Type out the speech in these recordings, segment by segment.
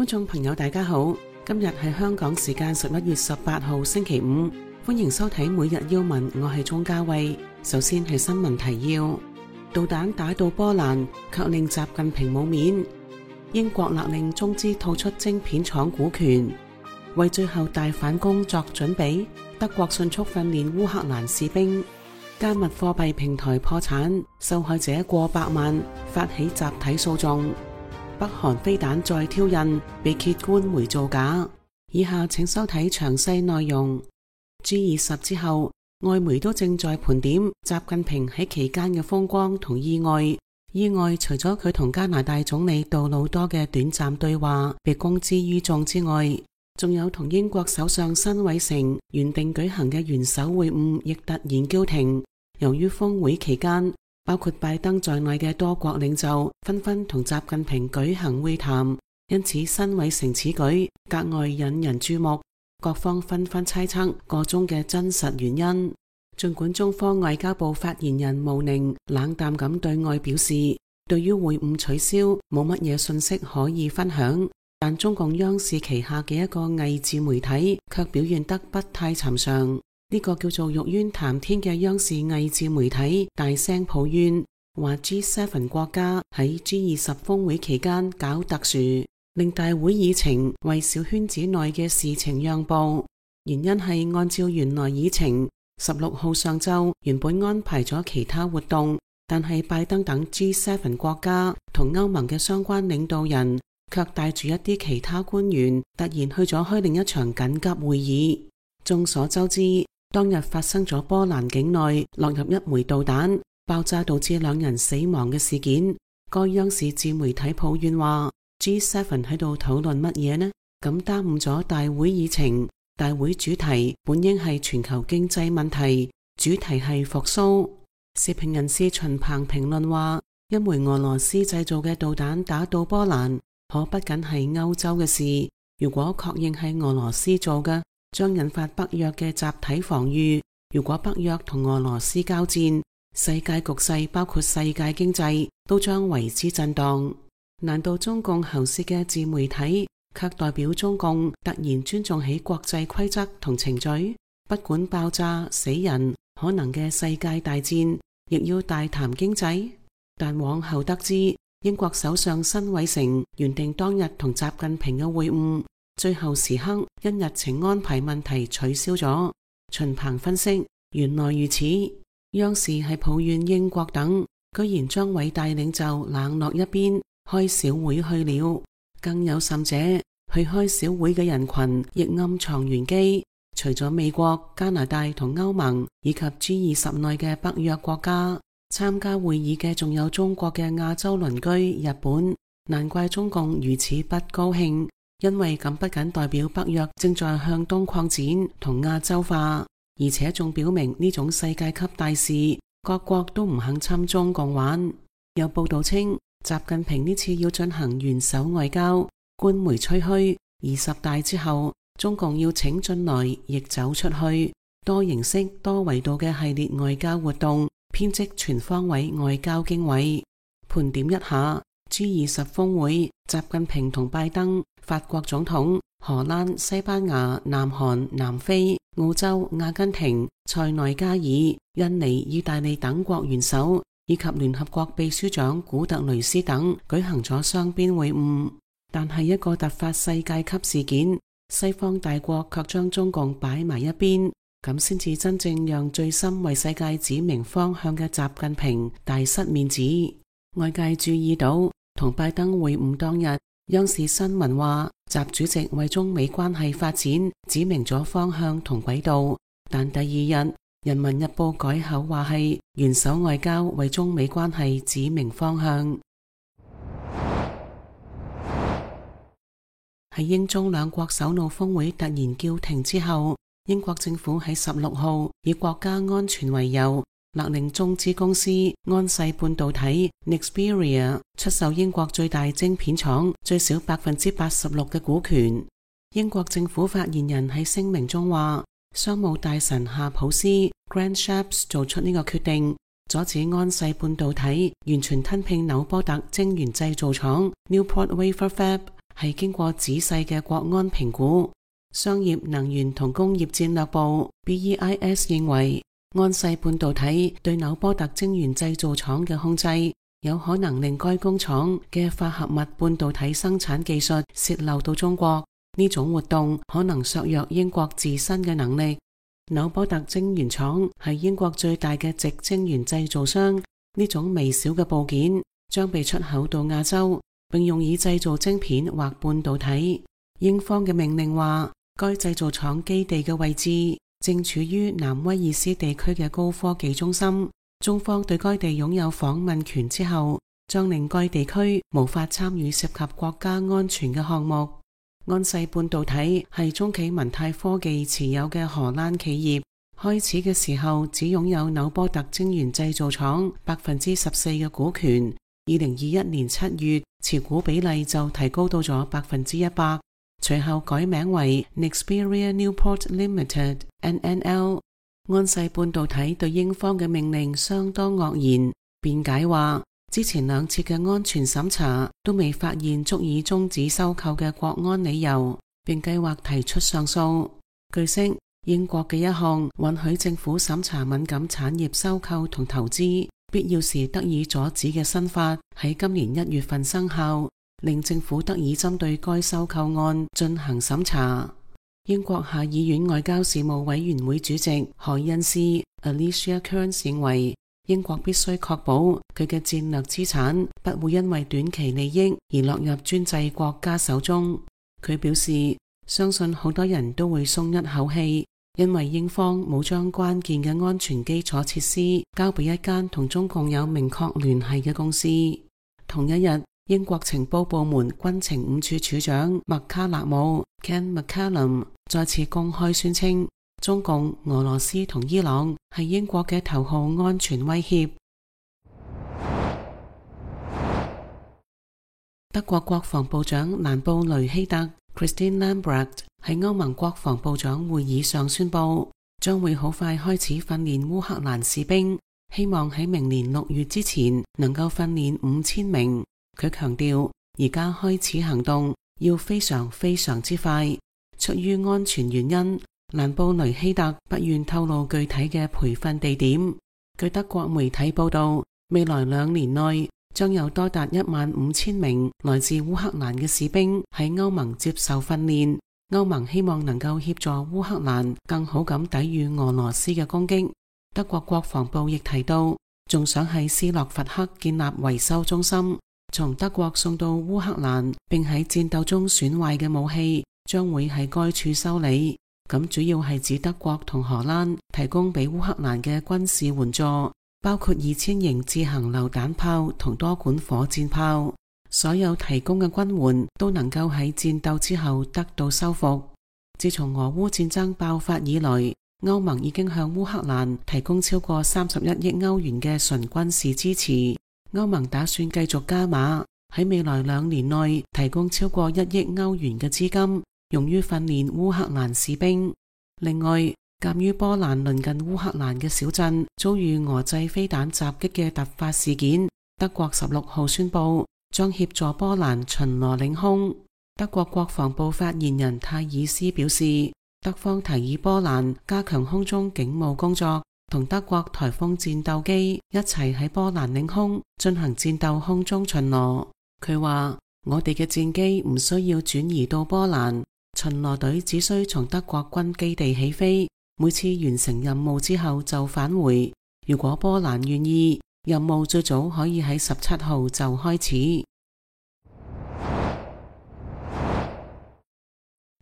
觀眾朋友大家好，今日係香港時間11月18號星期五，歡迎收睇每日要聞，我係鍾嘉慧。首先係新聞提要：導彈打到波蘭，卻令習近平冇面；英國勒令中資吐出晶片廠股權，為最後大反攻作準備。德國迅速訓練烏克蘭士兵。加密貨幣平台破產，受害者過百萬，發起集體訴訟。北韓飛彈再挑釁，被揭官媒造假。以下請收睇詳細內容。G20之後，外媒都正在盤點習近平喺期間嘅風光同意外。意外除咗佢同加拿大總理杜魯多嘅短暫對話被公之於眾之外，仲有同英國首相辛偉誠原定舉行嘅元首會晤亦突然叫停。由於峰會期間，包括拜登在內嘅多國領袖紛紛同習近平舉行會談，因此辛偉誠此舉格外引人注目，各方紛紛猜測個中嘅真實原因。儘管中方外交部發言人毛寧冷淡咁對外表示，對於會晤取消冇乜嘢信息可以分享，但中共央視旗下嘅一個偽自媒體卻表現得不太尋常。呢個叫做玉淵談天嘅央視偽自媒體大聲抱怨，話 G7 國家喺 G20 峰會期間搞特殊，令大會議程為小圈子內嘅事情讓步。原因係按照原來議程，16號上晝原本安排咗其他活動，但係拜登等 G7 國家同歐盟嘅相關領導人卻帶住一啲其他官員突然去咗開另一場緊急會議。眾所周知，當日發生咗波蘭境內落入一枚導彈，爆炸導致2人死亡嘅事件。該央視自媒體抱怨話 G7 喺度討論乜嘢呢？咁耽誤咗大會議程。大會主題本應係全球經濟問題，主題係復甦。時評人士秦鵬評論話，一枚俄羅斯製造嘅導彈打到波蘭，可不僅係歐洲嘅事。如果確認係俄羅斯做嘅，將引發北約嘅集體防禦。如果北約同俄羅斯交戰，世界局勢包括世界經濟都將為之震盪。難道中共喉舌嘅自媒體卻代表中共突然尊重起國際規則同程序？不管爆炸死人，可能嘅世界大戰，亦要大談經濟？但往後得知，英國首相辛偉誠原定當日同習近平嘅會晤，最後時刻因日程安排問題取消咗。秦鵬分析，原來如此，央視係抱怨英國等居然將偉大領袖冷落一邊，開小會去了。更有甚者，去開小會嘅人群亦暗藏玄機，除咗美國、加拿大同歐盟以及 G20 內嘅北約國家，參加會議嘅仲有中國嘅亞洲鄰居日本。難怪中共如此不高興，因為咁不僅代表北約正在向東擴展同亞洲化，而且仲表明呢種世界級大事，各國都唔肯侵中共玩。有報道稱，習近平呢次要進行元首外交，官媒吹噓20大之後，中共要請進來亦走出去，多形式多維度嘅系列外交活動，編織全方位外交經緯。盤點一下 G20 峰會，習近平同拜登、法國總統、荷蘭、西班牙、南韓、南非、澳洲、阿根廷、塞內加爾、印尼、意大利等國元首以及聯合國秘書長古特雷斯等舉行咗雙邊會晤。但係一個突發世界級事件，西方大國卻將中共擺埋一邊，咁先至真正讓最深為世界指明方向嘅習近平大失面子。外界注意到，同拜登會晤當日，央視新聞話習主席為中美關係發展指明咗方向同軌道，但第二日人民日報改口話係元首外交為中美關係指明方向。喺英中兩國首腦峰會突然叫停之後，英國政府喺16號以國家安全為由，勒令中資公司安世半導體 Nexperia 出售英國最大晶片廠最少86%嘅股權。英國政府發言人喺聲明中話，商務大臣夏普斯 Grant Shapps 做出呢個決定，阻止安世半導體完全吞併紐波特晶圓製造廠 Newport Wafer Fab，係經過仔細嘅國安評估。商業、能源同工業戰略部 BEIS 認為，安世半導體對紐波特晶圓製造廠嘅控制，有可能令該工廠嘅化合物半導體生產技術洩漏到中國。呢種活動可能削弱英國自身嘅能力。紐波特晶圓廠係英國最大嘅矽晶圓製造商，呢種微小嘅部件將被出口到亞洲，並用以製造晶片或半導體。英方嘅命令話，該製造廠基地嘅位置正處於南威爾斯地區嘅高科技中心。中方對該地擁有訪問權之後，將令該地區無法參與涉及國家安全嘅項目。安世半導體係中企文泰科技持有嘅荷蘭企業，開始嘅時候只擁有紐波特晶圓製造廠14%嘅股權。2021年7月，持股比例就提高到咗100%，隨後改名為 Nexperia Newport Limited (NNL)。安世半導體對英方嘅命令相當愕然，辯解話，之前2次嘅安全審查都未發現足以終止收購嘅國安理由，並計劃提出上訴。據悉，英國嘅一項允許政府審查敏感產業收購同投資，必要時得以阻止嘅新法喺今年1月份生效，令政府得以針對該收購案進行審查。英國下議院外交事務委員會主席海恩斯 Alicia Kearns 認為，英國必須確保佢嘅戰略資產不會因為短期利益而落入專制國家手中。佢表示，相信好多人都會鬆一口氣，因為英方冇將關鍵嘅安全基礎設施交俾一間同中共有明確聯繫嘅公司。同一日，英國情報部門軍情5處處長麥卡勒姆 Ken McCallum 再次公開宣稱，中共、俄羅斯同伊朗係英國嘅頭號安全威脅。德國國防部長蘭布雷希特 Christine Lambrecht 喺歐盟國防部長會議上宣布，將會好快開始訓練烏克蘭士兵，希望喺明年6月之前能夠訓練5000名。佢強調，而家開始行動要非常非常之快。出於安全原因，蘭布雷希特不願透露具體嘅培訓地點。據德國媒體報道，未來2年內將有多達15000名來自烏克蘭嘅士兵喺歐盟接受訓練。歐盟希望能夠協助烏克蘭更好咁抵禦俄羅斯嘅攻擊。德國國防部亦提到，仲想喺斯洛伐克建立維修中心，從德國送到烏克蘭並喺戰鬥中損壞嘅武器將會喺該處修理。咁主要係指德國同荷蘭提供俾烏克蘭嘅軍事援助，包括2000型自行榴彈炮同多管火箭炮。所有提供嘅軍援都能夠喺戰鬥之後得到修復。自從俄烏戰爭爆發以來，歐盟已經向烏克蘭提供超過31億歐元嘅純軍事支持。歐盟打算繼續加碼，喺未來2年內提供超過1億歐元嘅資金，用於訓練烏克蘭士兵。另外，鑒於波蘭鄰近烏克蘭嘅小鎮遭遇俄製飛彈襲擊嘅突發事件，德國16號宣布將協助波蘭巡邏領空。德國國防部發言人泰爾斯表示，德方提議波蘭加強空中警務工作，同德國颱風戰鬥機一齊喺波蘭領空進行戰鬥空中巡邏。佢話，我哋嘅戰機唔需要轉移到波蘭，巡邏隊只需從德國軍基地起飛，每次完成任務之後就返回。如果波蘭願意，任務最早可以喺17號就開始。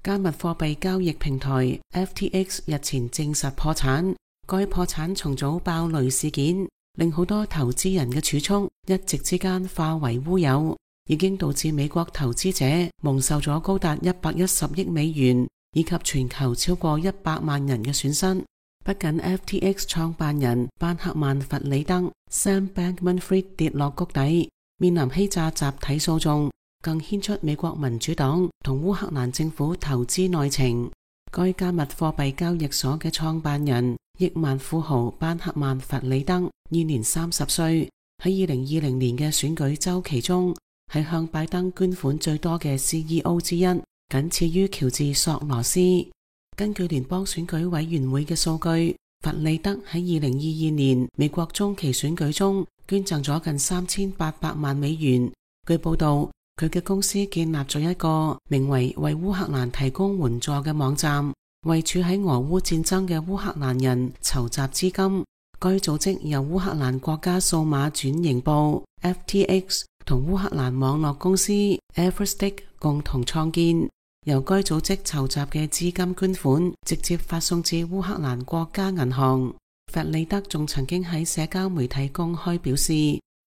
加密貨幣交易平台 FTX 日前證實破產，該破產重組爆雷事件令好多投資人嘅儲蓄一夕之間化為烏有，已經導致美國投資者蒙受咗高達110億美元以及全球超過100萬人嘅損失。不僅 FTX 創辦人班克曼弗里德 Sam Bankman-Fried 跌落谷底，面臨欺詐集體訴訟，更牽出美國民主黨同烏克蘭政府投資內情。該加密貨幣交易所嘅創辦人億萬富豪班克曼弗里德現年30歲，喺2020年嘅選舉週期中係向拜登捐款最多嘅 CEO 之一，僅次於喬治索羅斯。根據聯邦選舉委員會嘅數據，弗利德喺2022年美國中期選舉中捐贈咗近3800萬美元。據報道，佢嘅公司建立咗一個名為為烏克蘭提供援助嘅網站，為處喺俄烏戰爭嘅烏克蘭人籌集資金。該組織由烏克蘭國家數碼轉型部 FTX 同烏克蘭網絡公司 Everstick 共同創建。由該組織籌集嘅資金捐款直接發送至烏克蘭國家銀行。弗利德仲曾經喺社交媒體公開表示，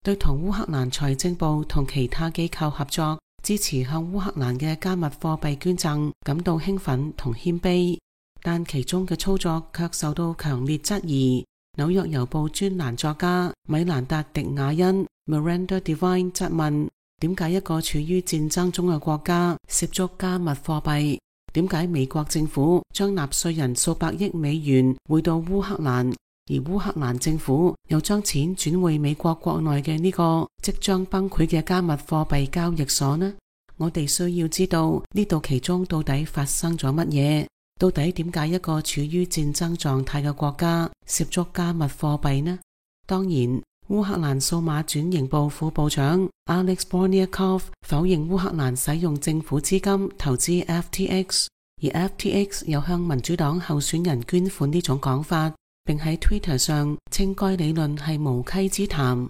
對同烏克蘭財政部同其他機構合作，支持向烏克蘭嘅加密貨幣捐贈感到興奮同謙卑，但其中嘅操作卻受到強烈質疑。紐約郵報專欄作家米蘭達迪亞恩 Miranda Devine 質問，點解一個處於戰爭中嘅國家涉足加密貨幣？點解美國政府將納稅人數百億美元匯到烏克蘭，而烏克蘭政府又將錢轉回美國國內嘅呢個即將崩潰嘅加密貨幣交易所呢？我哋需要知道呢度其中到底發生咗乜嘢？到底點解一個處於戰爭狀態嘅國家涉足加密貨幣呢？當然，烏克蘭數碼轉型部副部長 Alex Borniakov 否認烏克蘭使用政府資金投資 FTX， 而 FTX 又向民主黨候選人捐款呢種講法，並喺 Twitter 上稱該理論係無稽之談。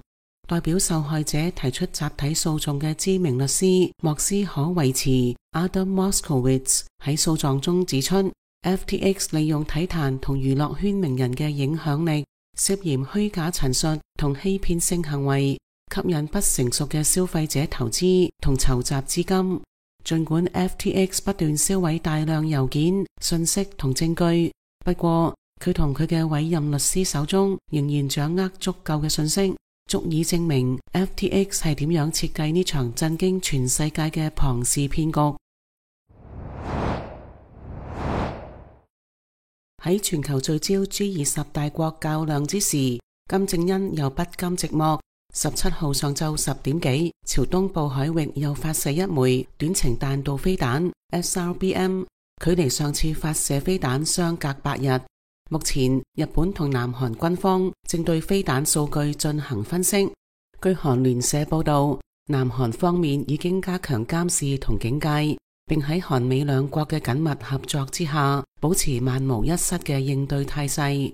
代表受害者提出集體訴訟嘅知名律師莫斯可維茨 Adam Moskowitz 喺訴狀中指出， FTX 利用體壇同娛樂圈名人嘅影響力，涉嫌虛假陳述同欺騙性行為，吸引不成熟嘅消費者投資同籌集資金。儘管 FTX 不斷銷毀大量郵件、信息同證據，不過佢同佢嘅委任律師手中仍然掌握足夠嘅信息，足以證明 FTX 係點樣設計呢場震驚全世界嘅龐氏騙局。喺全球聚焦 G20 大國較量之時，金正恩又不甘寂寞。17號上晝10點幾，朝東部海域又發射一枚短程彈道飛彈 SRBM， 距離上次發射飛彈相隔8日。目前，日本同南韓軍方正對飛彈數據進行分析。據韓聯社報道，南韓方面已經加強監視同警戒，並喺韓美兩國嘅緊密合作之下，保持萬無一失嘅應對態勢。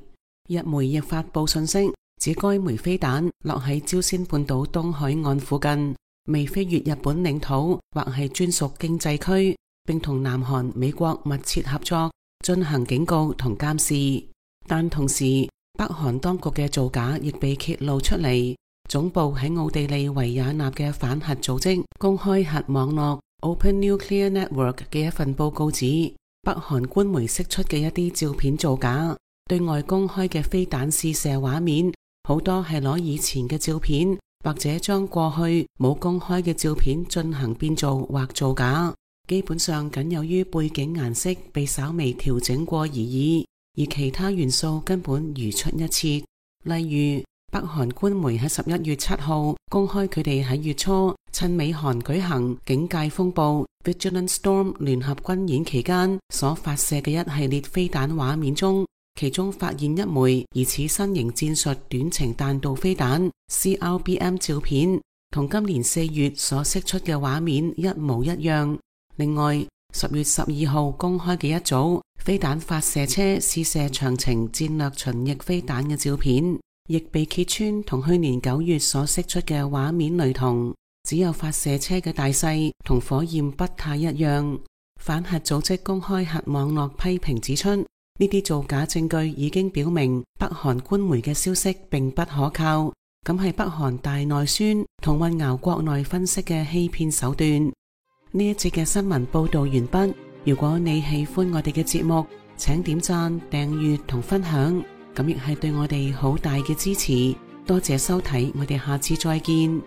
日媒亦發布信息，指該枚飛彈落喺朝鮮半島東海岸附近，未飛越日本領土或係專屬經濟區，並同南韓、美國密切合作，進行警告同監視。但同時，北韓當局嘅造假亦被揭露出嚟。總部喺奧地利維也納嘅反核組織公開核網絡 Open Nuclear Network 嘅一份報告指，北韓官媒釋出嘅一啲照片造假，對外公開嘅飛彈試射畫面好多係攞以前嘅照片，或者將過去冇公開嘅照片進行變造或造假，基本上僅有於背景顏色被稍微調整過而已，而其他元素根本如出一轍。例如，北韓官媒喺11月7號公開佢哋喺月初趁美韓舉行警戒風暴 Vigilant Storm 聯合軍演期間所發射嘅一系列飛彈畫面中，其中發現一枚疑似新型戰術短程彈道飛彈 CRBM 照片，同今年4月所釋出嘅畫面一模一樣。另外，10月12號公開嘅一組飛彈發射車試射長程戰略巡弋飛彈嘅照片，亦被揭穿同去年9月所釋出嘅畫面類同，只有發射車嘅大細同火焰不太一樣。反核組織公開核網絡批評指出，呢啲造假證據已經表明北韓官媒嘅消息並不可靠，咁係北韓大內宣同混淆國內分析嘅欺騙手段。呢一節嘅新聞報道完畢。如果你喜歡我哋嘅節目，請點讚、訂閱同分享，咁亦係對我哋好大嘅支持。多謝收睇，我哋下次再見。